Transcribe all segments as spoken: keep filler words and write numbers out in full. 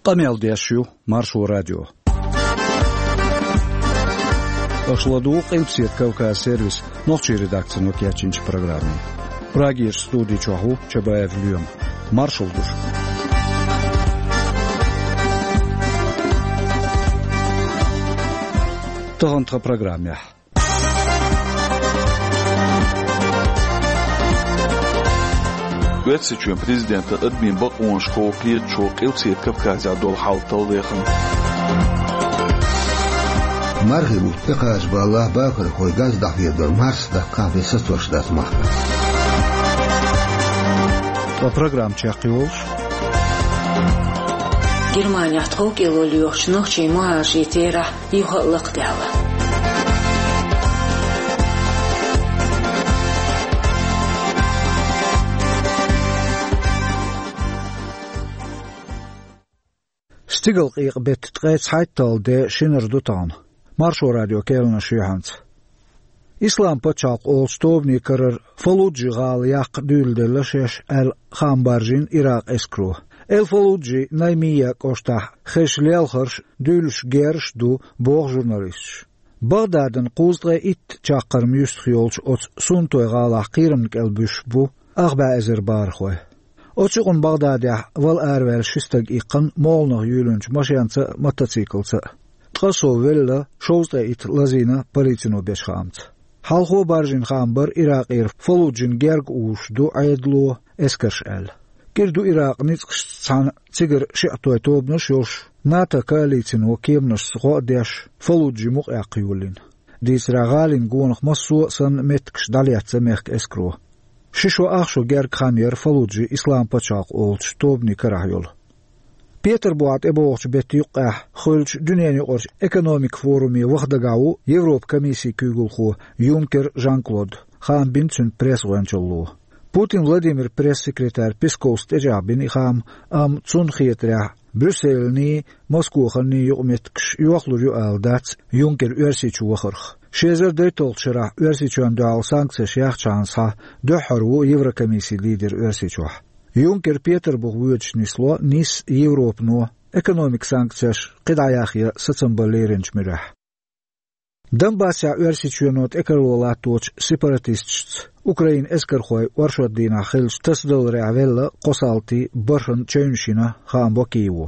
Къамел деш ю Маршо радио. Аша ладугӀу Къилбаседа Кавказ сервисан нохчийн редакцино кечйинчу программе. Прагерчу студи чохь ву Чабаев Лоьма. Маршалла ду шуьга. Тахана тхан программехь. Оьрсийчоьнан президентан адамийн бакъонашкахула кхеташо Къилбаседа Кавказехь долу хьал талла вехна. Мархи бутт тӀекхача баллахь, бахархой газ дӀахьедор марс даккхахь бен сацош дац махкахь. Ткъа программа чекхйолуш. Германехь тховкӀело лоьхучу нохчийн мухӀажарийн терахь юха а лакхадаьлла. Стигалкъекъа беттан ткъе цхьайтталгӀа де шинара ду тахана. Маршо радион керланаш ю хьанца. Ислам пачхьалкх олучу тобанан карара Фаллуджи-гӀала яккха дуьйладелла шаьш аьлла, хаам баржийна Иракъан эскаро. Эл-Фаллуджин Наймия кӀоштахь хезаш лелхарш, дуьйлуш герзаш а ду, боху журналисташа. БагӀдадна кхузткъе итт чаккхарма юьстах йолчу оцу Сунтойн гӀалахь кхерамна кӀел буьсуш бу ах бӀе эзар бахархой. Оцу юкъана БагӀдадехь вала араваьлла ши стаг иккхина молханах юьйлинчу машенца а, мотоциклца а. Ткъа сов велла, шовзткъе итт лазийна полицино бечу хаамца. Хьалхо баржийна хаам бара Иракъера Фаллуджина герга узуш ду Ӏедало, эскарш аьлла. КӀира ду Иракъан ницкъашца цхьаьна цигара шиӀитойн тобанаш а йолуш, НАТО коалицино кеманашца гӀо а деш, Фаллуджи мукъаяккха йолийна. Дийцарехь, гӀалин гонах массо а санна меттигаш дӀалецна мехкан эскаро. Ши шо ах шо герга хан яра Фаллуджи Ислам пачхьалкх олучу тобанан карахь йолу. Петарбухехь тӀебогӀучу беттан юккъехь хуьлучу дуьненаюкъарчу экономикан форуме ваха дагахь ву Европан комиссин куьйгалхо Юнкер Жан-Клод, хаам бина цуьнан пресс-гӀоьнчалло. Путин Владимиран пресс-секретарь Песковс тӀечӀагӀбина и хаам, амма цунна хетарехь, Брюсселаний, Москоханий юкъаметтигаш йохлур ю ала дац Юнкеран Оьрсийчу вахарх. Ши эзар дейтталгӀачу шарахь Оьрсийчоьнна дуьхьал санкцеш яьхчахьана схьа дуьххьара ву Еврокомиссин лидер Оьрсийчохь. Юнкер Петарбух воьдуш нисло Ниссан Европано экономикан санкцеш кхидӀа яхъян сацам бан леринчу муьрехь. Донбассехь Оьрсийчоьно тӀекарло латточу сепаратисташца Украинан эскархойн оршот дийнахь хиллачу тасадаларехь велла кхо салти, бархӀанна чевнаш йина, хаам бо Киево.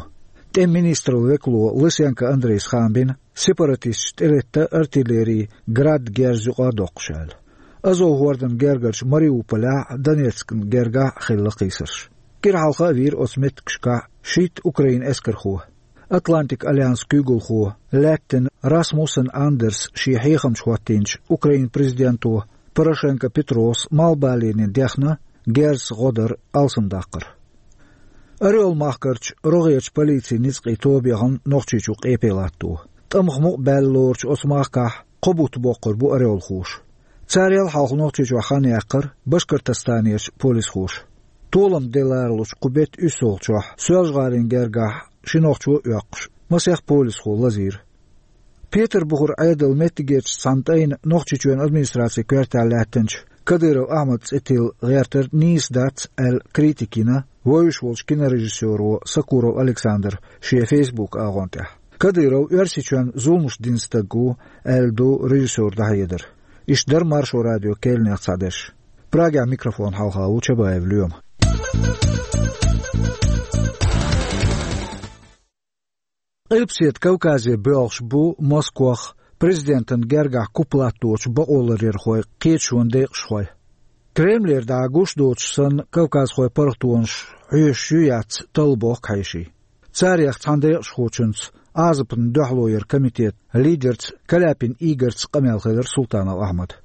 ТӀеман министраллин векало Лысенко Андрейс хаам бина, сепаратисташа тӀелетта артиллерин «Град» герз юкъа а доккхуш аьлла. Азов хӀордан гергарчу Мариуполехь а, Донецкан гергахь а хилла кхийсарш. КӀира хьалха а вийра оцу меттигашкахь шийтта Украинан эскархо. Атлантикан альянсан куьйгалхо лаьттина Расмуссен Андерс шен хьехамча хӀоттийначу Украинан президенто Порошенко Петрос малхбалийна дехна герзаца гӀо дар алсамдаккхар. Орёл махкарчу рогӀерчу полицин ницкъийн тоба яхана Нохчийчу къепе латто. ТӀамах мукъа баьлла лоручу оцу махкахь кхо бутт боккхур бу орёлхоша. Царел хьалха Нохчийчохь хан яьккхира Башкортостанерчу полисхоша. Толам де лоручу кху беттан уьссалгӀачохь Соьлжа-ГӀалин гергахь ши нохчо а оьккхуш, масех полисхо лазийра. Петарбухара Ӏедалан меттигерчу цхьана тӀайна Нохчийчоьнан администрацин коьртехь лаьттинчу Кадыров Ахьмадан цӀе тилла гӀертар нийса дац аьлла, критика йина вевзаш волчу кинорежиссёро Сокуров Александра шен Facebook агӀон тӀехь. Кадыров Оьрсийчоьнна зуламаш дина стаг ву аьлла ду режиссёран дӀахьедар. Иштта дара Маршо радион керланех цхьадерш. Прагехь микрофон хьалха ву Чабаев Лоьма. Къилбаседа Кавказе боьлхуш бу Москох президентан гергахь куп латточу бакъоларъярхойн кхеташонан декъашхой. Кремлера дӀа гуш доцуш санна, кавказхойн паргӀатонаш хьоьшуш ю-яц талла бохку хьеший. Царех цхьана декъашхочуьнца, Ӏазапна дуьхьало яран комитетан лидерца Каляпин Игорьца къамел хилира Султанов Ахьмадан.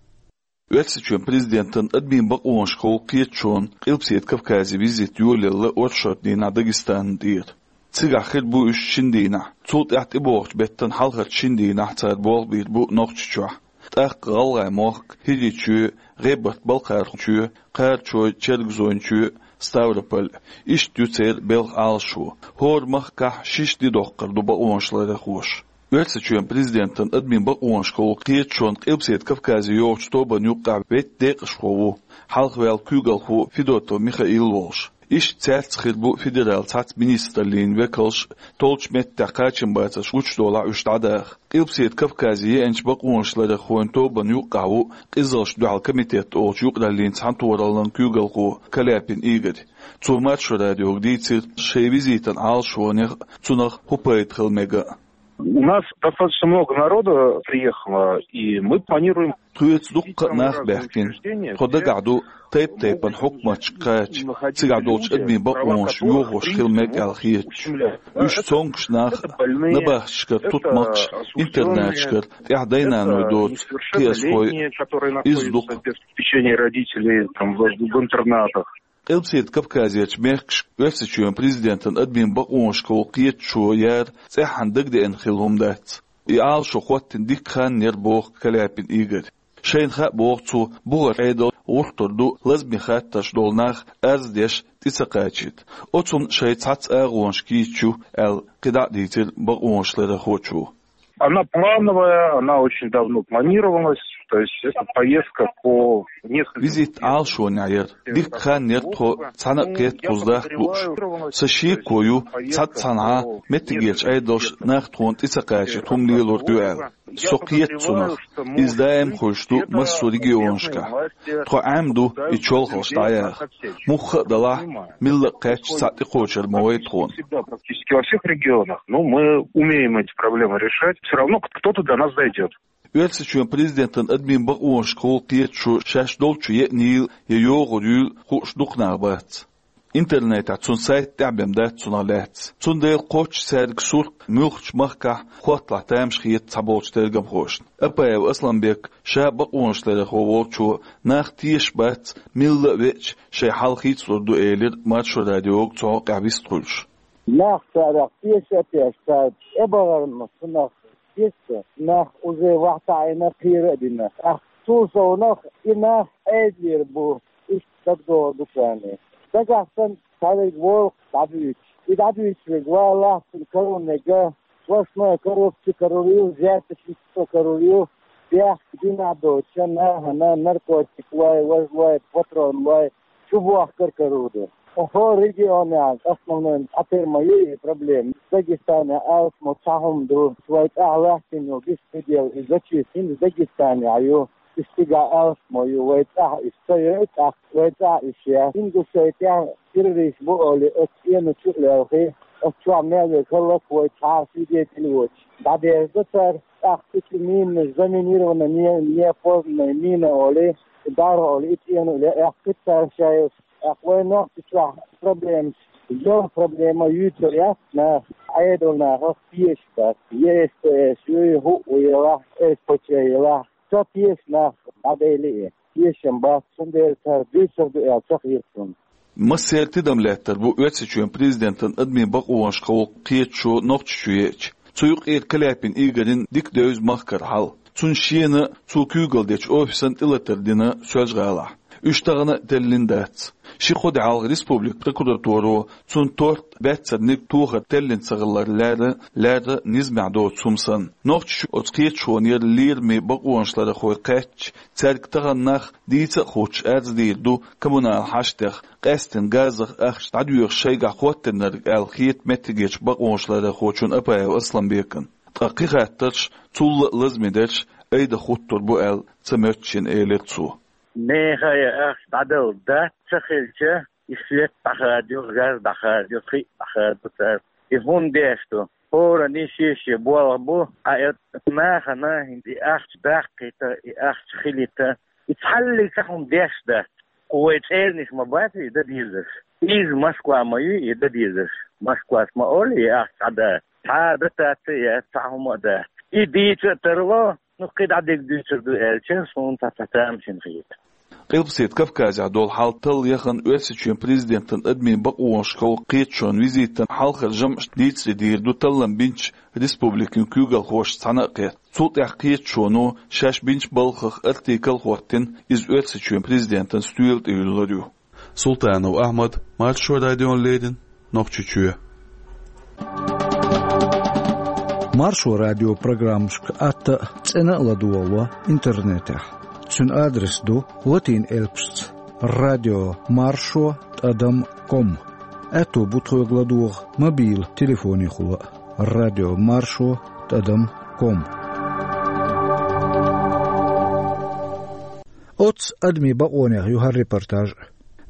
Оьрсийчоьнан президентан адамийн бакъонашкахула кхеташонан Къилбаседа Кавказе визит йолаелла оршот дийнахь Дагестанна тӀера. Цигахь хир бу уьш шина дийнахь, цул тӀаьхьа тӀебогӀучу беттан хьалхарчу шина дийнахь цара болх бийр бу Нохчийчохь. ТӀаккха ГӀалгӀайн мохк, ХӀирийчоь, ГӀебарта-Балкхархойчоь, Кхарачой, Чергазойчоь, Ставрополь, иштта ю церан белхан Ӏалашо. ХӀора махкахь шишша де доккхур ду бакъонаш ларъярхоша. Оьрсийчоьнан президентан адамийн бакъонашкахула кхеташонан Къилбаседа Кавказе йогӀучу тобанна юккъехь ветта декъашхо ву, хьалхаваьлла куьйгалхо Федотов Михаил волуш. Иштта цаьрца хир бу федерал цхьацца министраллин векалш, толчу меттехь кхачам бацарш гучудолахь уьш дӀадаха. Къилбаседа Кавказе еанчу бакъонашларъярхойн тобанна юккъехь ву къизаллашна дуьхьал комитет олучу юкъараллин цхьаьнатохараллин куьйгалхо Каляпин Игорь. Цо Маршо радиога дийцира шайн визитан Ӏалашонех а, цунах хӀун пайда хила мега а. У нас достаточно много народа приехало, и мы планируем... Тхоьца дуккха а нах баьхкина. Тхо дагахь ду тайп-тайпана хьукматашка кхача, цигахь долчу адамийн бакъонаш йохош хила мега аьлла хеташ. Уьш цомгуш нах а, набахташкара тутмакхаш, интернаташкара тӀаьхьа дай-наной доцу кхиазхой а, иза ду-кх. В течение родителей, там, в, в интернатах. Къилбаседа Кавказерчу мехкашка Оьрсийчоьнан президентан адамийн бакъонашкахула кхеташо яра цӀеххьана дагадеана хилла хӀума дац. И Ӏалашо хӀоттийна дикка хан яра, боху Каляпин Игорь. Шайна хаьа, боху цо, бухара Ӏедал гӀуртур ду лазаме хаттарш долу нах арз деш, тӀе ца кхачийта. Оцунна шайн цхьацца агӀонаш кийча ю аьлла, кхидӀа а дийцира бакъонашларъярхочо. Она плановая, она очень давно планировалась. То есть это поездка по нескольким... Визит Ӏалашонехь яра. Дикка хан яра тхо цхьаьна а кхетта кхуза дахка лууш. Сан шеко ю, цхьацца цхьанхьа меттигерчу Ӏедалша нах тхуна тӀе ца кхачийта хӀума лелор ю аьлла. Со кхета цунах. Иза даим хуьлуш ду массо а регионашкахь. Тхо Ӏемаду и чолхалш дӀаяха. Мухха а далахь, милла а кхаьчча, цхьаъ тӀекхочур ма вай тхуна. Всегда, практически во всех регионах, но мы умеем эти проблемы решать. Всё равно кто-то до нас дойдёт. Оьрсийчоьнан президентан адамийн бакъонашкахула кхеташо шаьш долчу еанийла я йогӀур юйла хууш дукха нах бац. Интернетехь цуьнан сайт тӀаьхьабен дац цунах лаьцна. Цундела кхоччуш цаьрга сурт муьлххачу махкахь хӀотталахь тамаш хета цхьаболчу тергамхошна. Апаев Асланбек, ша бакъонашларъярхо волчо, нах тешаш бац, милла а веача, шайн хьал хийцалур ду, элира Маршо радиога цу хьокъехь вистхуьлуш. Нах царах теша а тешна, цара тӀебахарна цунах тешна, нах уже вахьа таӀийна, кхера а дина. ТӀаккха цул совнах и нах Ӏедалера бу, иштта дагадогӀур ду царна. Дагахь санна цхьаверг волу дӀадуьйцуш. И дӀадуьйцург валлахь, цунна карор мега, сплошной коррупция карор ю, взяточничество карор ю, бехк динехь доцуш нахана наркотик лой, важа лой, патрон лой, чубохкар карор ду. ХӀора регионехь основной цхьатерра ма ю и проблема. Дагестанехь алсамо цхьа хӀума ду, вай тӀехь лаьттина йолу беспредел, и зачистка хӀинца Дагестанехь ю. Уьш цигахь алсамо ю, вай тӀехь уьш ца йой, тӀаккха вай тӀехь уьш яц. Ингушетия террорист бу олий, оцу цӀена чу а лелхий, оцу чохь мел верг хӀаллак вай цхьа а свидетель воцуш дӀадерзадо цара. ТӀаккха цу чу минаш, заминированная не-, неопознанная мина олий, даргӀа олий, и цӀена а ле, эккхийта цара шайла. ТӀаккха вайн Нохчийчохь проблемаш, йолу проблема юьйцур яц наха, Ӏедалнахах тешаш бац. Е С П С ю, хӀуъа елахь, С П Ч елахь, ца теша нах дӀадели и. Тешам бац, цундела цара дуьйцур ду аьлла ца хета суна. Массеран тидам лаьттар бу Оьрсийчоьнан президентан адамийн бакъонашкахула кхеташо Нохчийчу еача. Цу юкъера Каляпин Игорьна дика девза махкара хьал. Цунна шена а, цо куьйгалла дечу офисана тӀелатар дина Соьлжа-ГӀалахь. Уьш тахана а теллина дац. Ши-кхо де хьалха республикан прокуратуро цунна торт, баьццарниг тохар теллина ца хилар лаьрра, лаьрра низамехь доцу хӀума санна. Нохчийчу оцу кхеташонера лераме бакъонашларъярхой кхаьчча, цаьрга тахана нах дийца а хуттуш арз дийр ду коммунал хьаштех, къаьсттина газах ахча дӀадоьхуш шайгахь хӀоттийнарг аьлла хета меттигерчу бакъонашларъярхочунна Апаев Асланбекна. Ткъа кхин хаттарш, цул а лазаме дерш, айда хӀуттур бу аьлла ца моьтту шена, элира цо. Нехан и ахча дӀадала дац ца хилча, и свет дӀахадайо, газ дӀахадайо, кхин а дӀахадо цара. И хӀунда деш ду? ХӀоранна шен-шен болх бу, а и нахана и ахча даккхийта, и ахча хилийта, и цхьаллиг цхьа хӀума деш дац. Кху вай цӀерниш ма бац и дан дезарш. Иза Москва ма ю и дан дезарш. Москвас ма олу и ахча дӀадан. Цхьа а дотаци а яц, цхьа хӀума а дац. И дийца а тарло, ну, кхин дӀа дерг дуьйцур ду аьлча, суна цхьа-цхьа тамашийна хета. Къилбаседа Кавказехь долу хьал талла яхана Оьрсийчоьнан президентан адамийн бакъонашкахула кхеташонан визитан хьалхара жамӀаш дийцаре дийр ду таллам бинчу республикийн куьйгалхошца цхьаьна а кхетта. Цул тӀаьхьа кхеташоно шаьш бинчу балхах артикл а хӀоттийна, иза Оьрсийчоьнан президентан стоьла тӀе юьллур ю. Султанов Ахьмад, Маршо радиона леррина, Нохчийчоь. Маршо радион программашка атта а, цӀена а ладогӀало интернетехь. Цуьнан адрес ду латин элпашца: радио маршо тӀадам ком. Аьтту бу тхоьга ладогӀа мобил телефонехула а: радио Маршо тӀадам ком. Оццу адамийн бакъонех ю хӀара репортаж.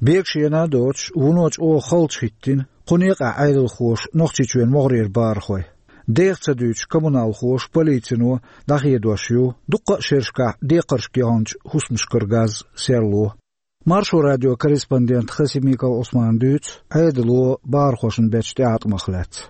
Бегашена а доцуш, вуно чӀогӀа халчахӀиттина кху некъа Ӏедалхоша Нохчийчоьнан могӀарера бахархой. Дех ца дуьйцуш, коммуналхоша, полицино дӀахедош ю дуккха а шерашкахь декхаршка яханчу хӀусамашкара газ серло. Маршо радион корреспондента Хасимиков Ӏусмана дуьйцу Ӏедало бахархошна бечу тӀеӀаткъамах лаьцна.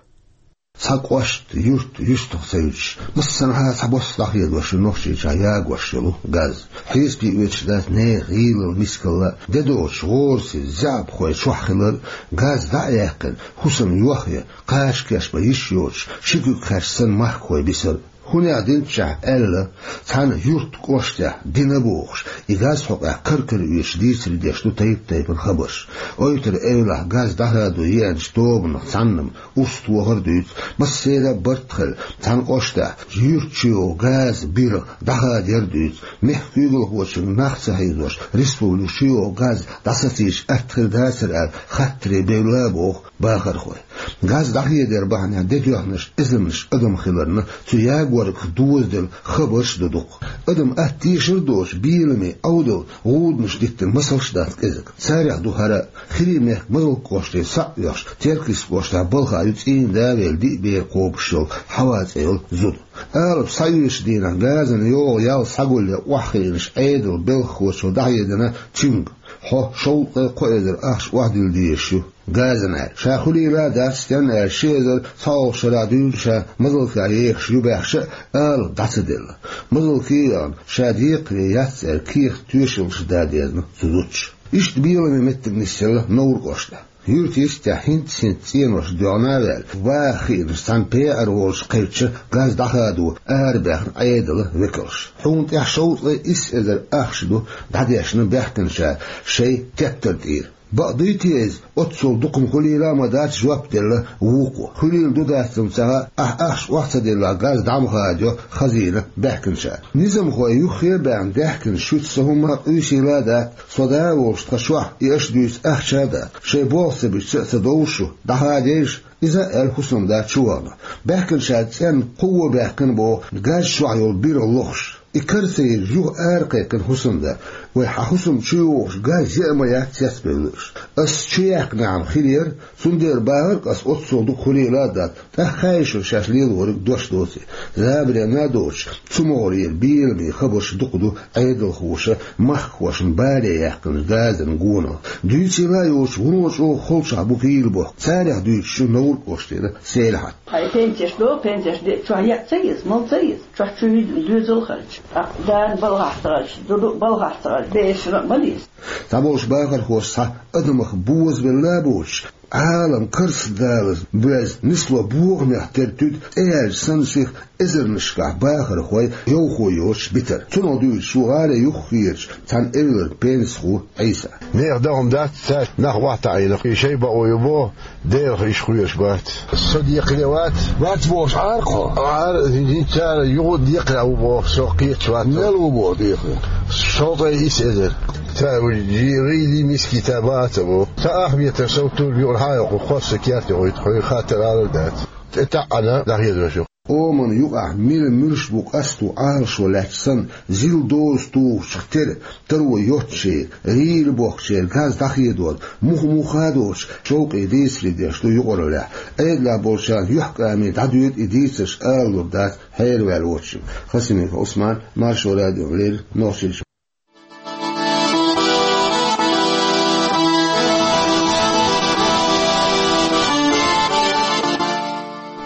Цхьа кӀошт, юрт юьстах ца юьтуш, массанхьа а цхьабосса дӀахедош ю Нохчийчохь ягош йолу газ. Хьесапе оьцуш дац нехан гӀийлалла, мискалла а, де доцуш гӀорасиз, заьӀапхой чохь хилар а. Газ дӀа а яьккхина, хӀусам йохъян, кхача кеш бан йиш йоцуш, ши куьг хаьрча санна махкахой бисар а. ХӀунех динччахь аьлла, цхьана юьртан кӀоштехь дина бохуш, и газ хьокъехь кара-кара оьцуш дийцаре деш ду тайп-тайпана хабарш. Ойтар-Эвлахь газ дӀахадо еанчу тобанах цхьанна-м урс тохар а дуьйцу, массеран а барт хилла, цхьана кӀоштахь юьрта чу йогӀу газан биргӀа дӀахадаяр а дуьйцу. Мехкан куьйгалхочуьнга нах ца хьийзош, республика чу йогӀу газ дӀасацийча атта хир дацара аьлла, хаттаре бевлла а боху бахархой. Газ дӀахедара бахьанехь де доьхнарш эзарнаш адам хиларна, цу ягоргах дозаделла хабарш а ду дукха. Адам атта тешар а доцуш, беламе, Ӏовдал, гӀуданаш диттина масалш а дац кӀезиг. Царех ду хӀара а: Хирий мехкан Мазалк кӀоштера схьа а оьхуш, Теркйист кӀоштахь балха ю цӀийнан да а велла, диъ бер кхобуш йолу Хьава цӀе йолу зуда. Алапа схьаоьшучу дийнахь газана йогӀу ял схьагулъян охьахиънаш Ӏедалан белхахочо дӀахьедина цуьнга: хьо шовзткъе кхо эзар ахча охьадилла дезаш ю газана аьлла. Ша хуьлийла а дац, стенна аьлча ши эзар цхьалгӀачу шарахь дуьйна ша Мазалкехь ехаш ю баьхча а, алапа дӀа ца делла. Мазалке а яхана, ша декхаре яц аьлла, кехат-тоьшаллаш дан дезна цу зудчо. Иштта беламе меттиг нисъелла Невран кӀоштахь. Юьртан йистехь хӀинцца-хӀинцца цӀенош доьгӀна а ваьлла, ваха хиънарш цхьана пеар волчу кхаьчча, газ дӀахадо арабаьхна Ӏедалан векалш. Хьуна тӀехь шовзткъе исс эзар ахча ду дӀадешна баьхкинчара шайн тептар тӀера. Бакъ дуй те иза? Оццул дукха-м хуьлийла а ма дац, жоп делла вукхо. Хуьлийла ду-дац-м ца хаьа, ахь ахча охьа ца деллехь, газ дӀа ма хадайо хазийна баьхкинчара. Низамхой юххе а баьхна даьхкина шуьца сан хӀумма а къуьйсийла а дац, со да а волуш тхан чохь, и аша дуьйцу ахча а дац. Шайн болх ца бича а ца довлу шу, дӀахадайша иза, аьлла хӀусамда чувахана. Баьхкинчара цӀенна кхо вон баьхкина боху газ чохь йолу биргӀа лохуш. И кара ца йинчу юха ара кхайкхина хӀусамда: «Вай, хьан хӀусам чу йогӀуш газ яа ма яц цецбевлла уьш. Ас чу яьккхинехь-м хир яра, цундела бахара-кх ас оццул дукха хуьлийла а дац, тӀаккха хаьий шуна шаьш лелориг дош доций». Забаренна а доцуш, цу могӀарера беламе хабарш дукха ду Ӏедалхоша махкахошна бале яьккхинчу газан гонах. Дуьйцийла а йоцуш, вуно чӀогӀа холчохь бу гӀийла бохку. Царех дуьйцуш ю Невран кӀоштера Селихьат. Хьайн пенсеш до, пенсеш де, чохь яа ца еза, мала ца еза, чохь чу доьзал харч. ТӀаккха дана балхахь ца гӀаьрча, ду-ду балхахь ца гӀаьрча, дешна а ма деза. Цхьаболчу бахархоша цхьа адамах бозабелла а боцуш, Ӏалам карс далаза боьзна нисло бохамех тера туьду тӀеяьлча санна сиха эзарнашкахь бахархой, йовхо йоцуш битар. Цунах дуьйцуш ву гӀалин юххерчу цхьана эвлара пенсихо Ӏийса. Нехан дан хӀума дац, цаьрца нах охьатаӀийна, и шайн бакъо ю боху, Делах иштта кхоьруш бац. Со декхаре вац. Вац бохуш Ӏара хьо? Ӏара, хӀинца цара юха декхаре ву боху, со кхеташ вац. Мел ву боху декхаре? Шовзткъе исс эзар. Ца вуьжу, жи-, гӀийли миски ца баца бу. Ца ахметар сов тур юкъара хьан йоккху, хосса керта хӀуьйту, хьуьйра хаттар алар дац. ТӀе таӀана дӀахедош ю. Оман юкъахь мила муьлш бу къасто Ӏалашо лаьтташ санна, зил доза тухучух тера, таро йоццушеран, гӀийла бохкучеран газ дӀахедор, муха-муха а доцуш, шовкъе дийцаре деш ду юкъараллехь. Ӏедалехь болчарна юьхькӀаме дӀадоьду и дийцарш, алалур дац хьераваьлла воцчуьнга. Хасимиков Ӏусман, Маршо радиона леррина, Нохчийчоь.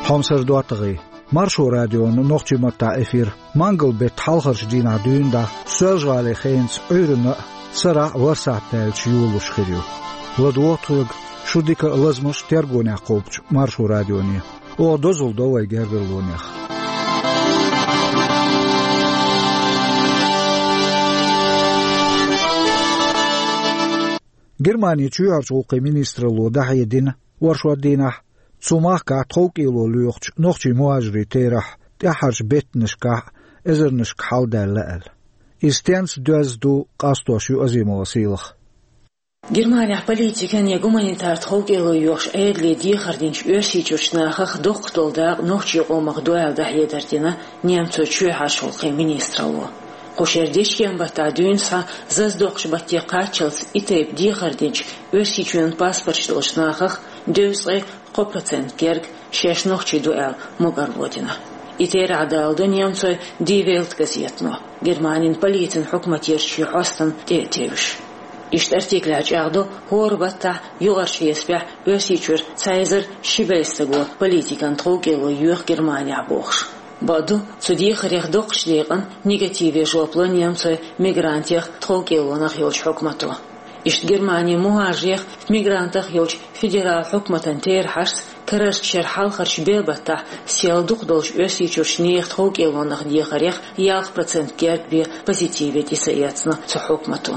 Хьомсара доттагӀий. Маршо радион нохчийн маттахь эфир мангал-беттан хьалхарчу дийнахь дуьйна дӀа Соьлжа-ГӀалин хенаца Ӏуьйранна а, сарахь а ворхӀ сахьт даьлча йолалуш хир ю. ЛадогӀа тхоьга шу дика а, лазамаш а тергонехь кхобучу Маршо радионе. Оха дозалла до вай гергарлонех. Германин чоьхьарчу гӀуллакхийн министралло дӀахьедина оршот дийнахь цу махкахь тховкӀело лоьхучу нохчийн мухӀажирийн терахь тӀаьххьарчу беттанашкахь эзарнашка хьалдаьлла аьлла. Иза стенца доьзна ду къастош ю Азимова Сийлаха. Германехь политикан я гуманитар тховкӀело йоьхуш Ӏедале дехар динчу Оьрсийчуьрчу нахах доккхах долу дакъа нохчийн къомах ду аьлла дӀахьедар дина немцойн чоьхьарчу гӀуллакхийн министралло. Кху шеран дечкен баттахь дуьйна схьа зазадоккхучу батте кхаччалц и тайпа дехар динчу Оьрсийчоьнан паспорташ долчу нахах дезткъе кхо процент герга шаьш нохчий ду аьлла мукӀарло дина. И терахь даладо немцойн Die Welt газетано, Германин полицин хьукматера шен хьостана тӀе а тевжаш. Иштта артиклехь чӀагӀдо хӀора баттахь юкъарчу хьесапехь Оьрсийчуьра цхьа эзар ши бӀе стага политикан тховкӀело йоьху Германехь бохуш. Бакъду, цу дехарех доккхачу декъана негативе жоп ло немцойн мигрантех тховкӀелонах йолчу хьукмато. Иштта Германин мухӀажарех, мигрантех йолчу федералан хьукматан терахьашца карарчу шеран хьалхарчу бӀе баттахь сел дукха долчу Оьрсийчуьрчу нехан тховкӀелонах дехарех ялх процент герга бен позитиве тӀе ца эцна цу хьукмато.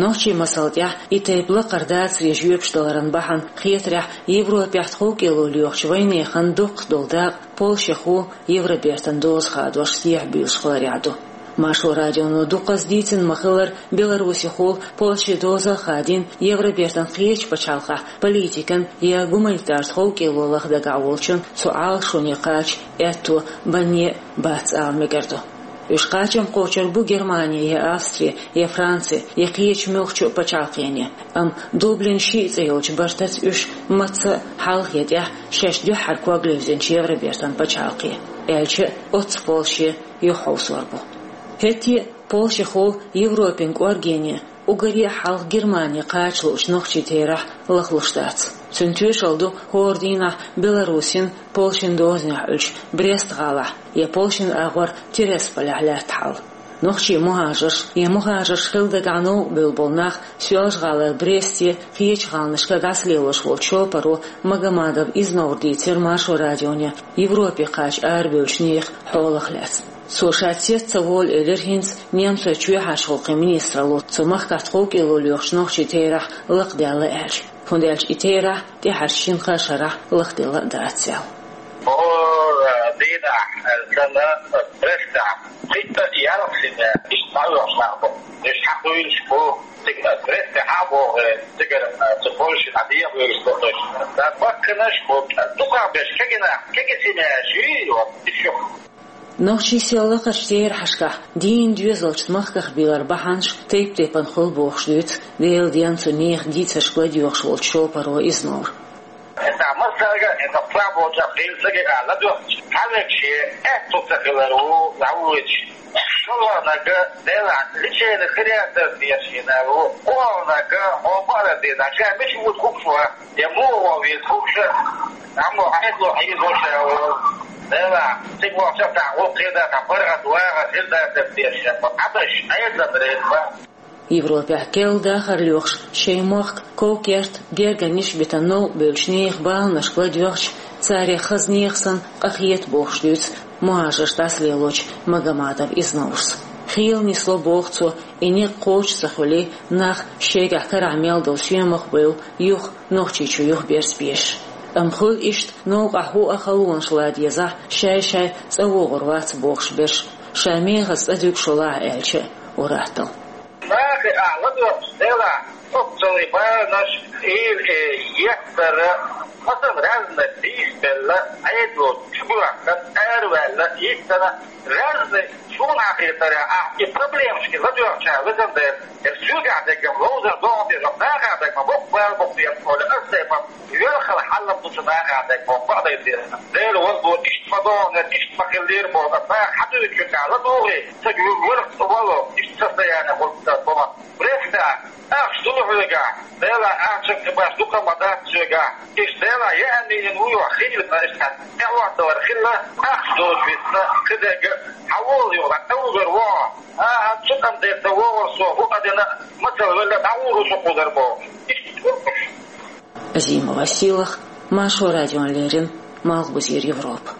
Нохчийн масал тӀехь и тайпа лакхара дацаре жоьпаш даларан бахьана хетарехь Европехь тховкӀело лоьхучу вайнехан доккхах долу дакъа Польшехула Евробертан доза хадош сехьа буьйлуш хиларехь ду. Маршо радионо дуккхаза дийцина ма-хиллара, Беларусехула Польше доза а хадийна Евробертан кхечу пачхьалкхехь политикан я гуманитар тховкӀело лаха дагахь волчун цу Ӏалашоне кхача аьтто банне а бац ала мегар ду. Уьш кхачам кхочур бу Германи я Австри, я Франци, я кхечу муьлххачу а пачхьалкхене. Амма Дублин шиъ цӀе йолчу бартаца уьш мацца а хьалха я тӀехь шаьш дуьххьара ког левзинчу Евробертан пачхьалкхе, аьлча а оццу Польше юхахьовсор бу. ХӀетте а Польшехула Европин кӀоргене уггаре а хьалха Германи кхача луучу нохчийн терахь лахлуш дац. Цуьнан тоьшалла ду хӀора дийнахь Беларусин, Польшин дозанехь Ӏуьллучу Брест-гӀалахь я Польшин агӀор Тирасполехь лаьтта хьал. Нохчийн мухӀажарш я мухӀажарш хила дагахь новкъа бевлла болу нах Соьлжа-ГӀалара Бресте, кхечу гӀаланашка дӀасалелош волчу шопаро Магомадов Изновра дийцира Маршо радионе Европе кхача арабевллачу нехан хьолах лаьцна. Цо ша цец ца волу элира хӀинца немцойн чоьхьарчу гӀуллакхийн министралло цу махкахь тховкӀело лоьхучу нохчийн терахь лакхадаьлла аьлча, хӀунда аьлча и терахь тӀаьхьарчу шина-кхаа шарахь лахделла а дац аьлла. ХӀора дийнахь, аьлла, Брестехь пхийтта-ялх семья иштта дӀавоьдуш нах бу. Уьш хьакхуьйлуш бу, цига Бресте хьа а богӀий, цигара цу Польше дӀадехавуьйлуш бу уьш. Ткъа баккхийнаш бу, дукхах берш кегий нах, кегий семьяш ю, и юха. Нохчийн сел лакхарчу терахьашкахь дийна доьзалчу махках бийлар бахьанаш тайп-тайпана хуьлу бохуш дуьйцу Делан денна цу нехан дийцаршка ладоьгӀуш волчу шопаро Изновра. ХӀинца массаьрга, хӀинца план болчохь хилла ца гина ладоьгӀча, хьалмегаш аьтто ца хилар ву, дӀавоьдуш. ШолгӀаниг, Делахь, лечение хир яц ас дезаш хилар ву. ОрхӀаниг, хьо бара деза, ша мича вуьту хӀума шу, я муха ван веза хӀума ша, амма хьайтло хьийзо ша волу. Делахь, цига вахча тахь гӀуллакх хир дац, тахь паргӀат вагӀар хир дац ас дезаш, Ӏадаш, Ӏедалан реза бан. Европехь керла дахар лоьхуш, шайн мохк, ков-керт, гергарниш битина новкъа бевллачу нехан баланашка ладоьгӀча, царех хаза нехан санна къахета бохуш дуьйцу мухӀажарш дӀасалелочу Магомадов Изноврас. Хийла нисло боху цо, и некъ кхочуш ца хуьлий, нах шайгахь карахь мел долу соьмах а бевлла, юха Нохчийчу юхаберза безаш. Амма хуьлу иштта новкъахь хӀуъа а халонаш лан дезахь, шай-шай цӀа вогӀур вац бохуш берш, ша мехаза цӀа дуьгу шолахь аьлча а ур-атталла. Нахе ахь ладоьгӀча, Делахь, оццул и баланаш, и, э, еттара, масала, разный дийсабелла, Ӏедало чубоьхкина, араваьлла, йиттина, разный, суна хетарехь, ахь и проблемашка ладоьгӀча, везан Дела, я соьгахь дерг-м ловзар догӀу деза, нахах дерг ма боккха бала боккха деза, олий, ас тайпа велхала хьал-м ду цу нахах дерг боху бакъдерг деза. Дела вала боху, иштта ма догӀу, иштта ма хиллера боху, аса наха хьан дуьйцучуьнга ладугӀий, ца гуьйгура, ца вало, иштта состояние хуьлу аса боху. Брестехь ахча ду хьоьгахь, Делахь, ахчанга баш дукха ма дац соьгахь. Иштта Делахь, яа мийна ву йо, хийла ца иштта, тӀехӀотталар хилла, ахча доцу висна, кхидерг, хьан волу юха, тӀе вуьгур ву хьо. ХӀан-хӀа, цу тӀам дерг ца вогӀур со, хӀу къа дина, мацалла велла, дӀагӀур ву со кхузара бохуш. Иштта гур уьш. Азимова Силах, Маршо радиона леррина, Малхбузера Европа.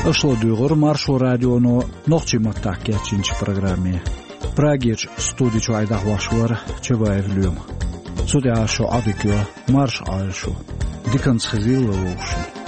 Аша ладуьйгӀура Маршо радионо нохчийн маттахь кечйинчу программе. Прагерчу студи чуьра дӀахьош вара Чабаев Лоьма. Цу тӀехь шу Ӏадика йо, марша Ӏойла шу. Диканца хезийла вовшашна.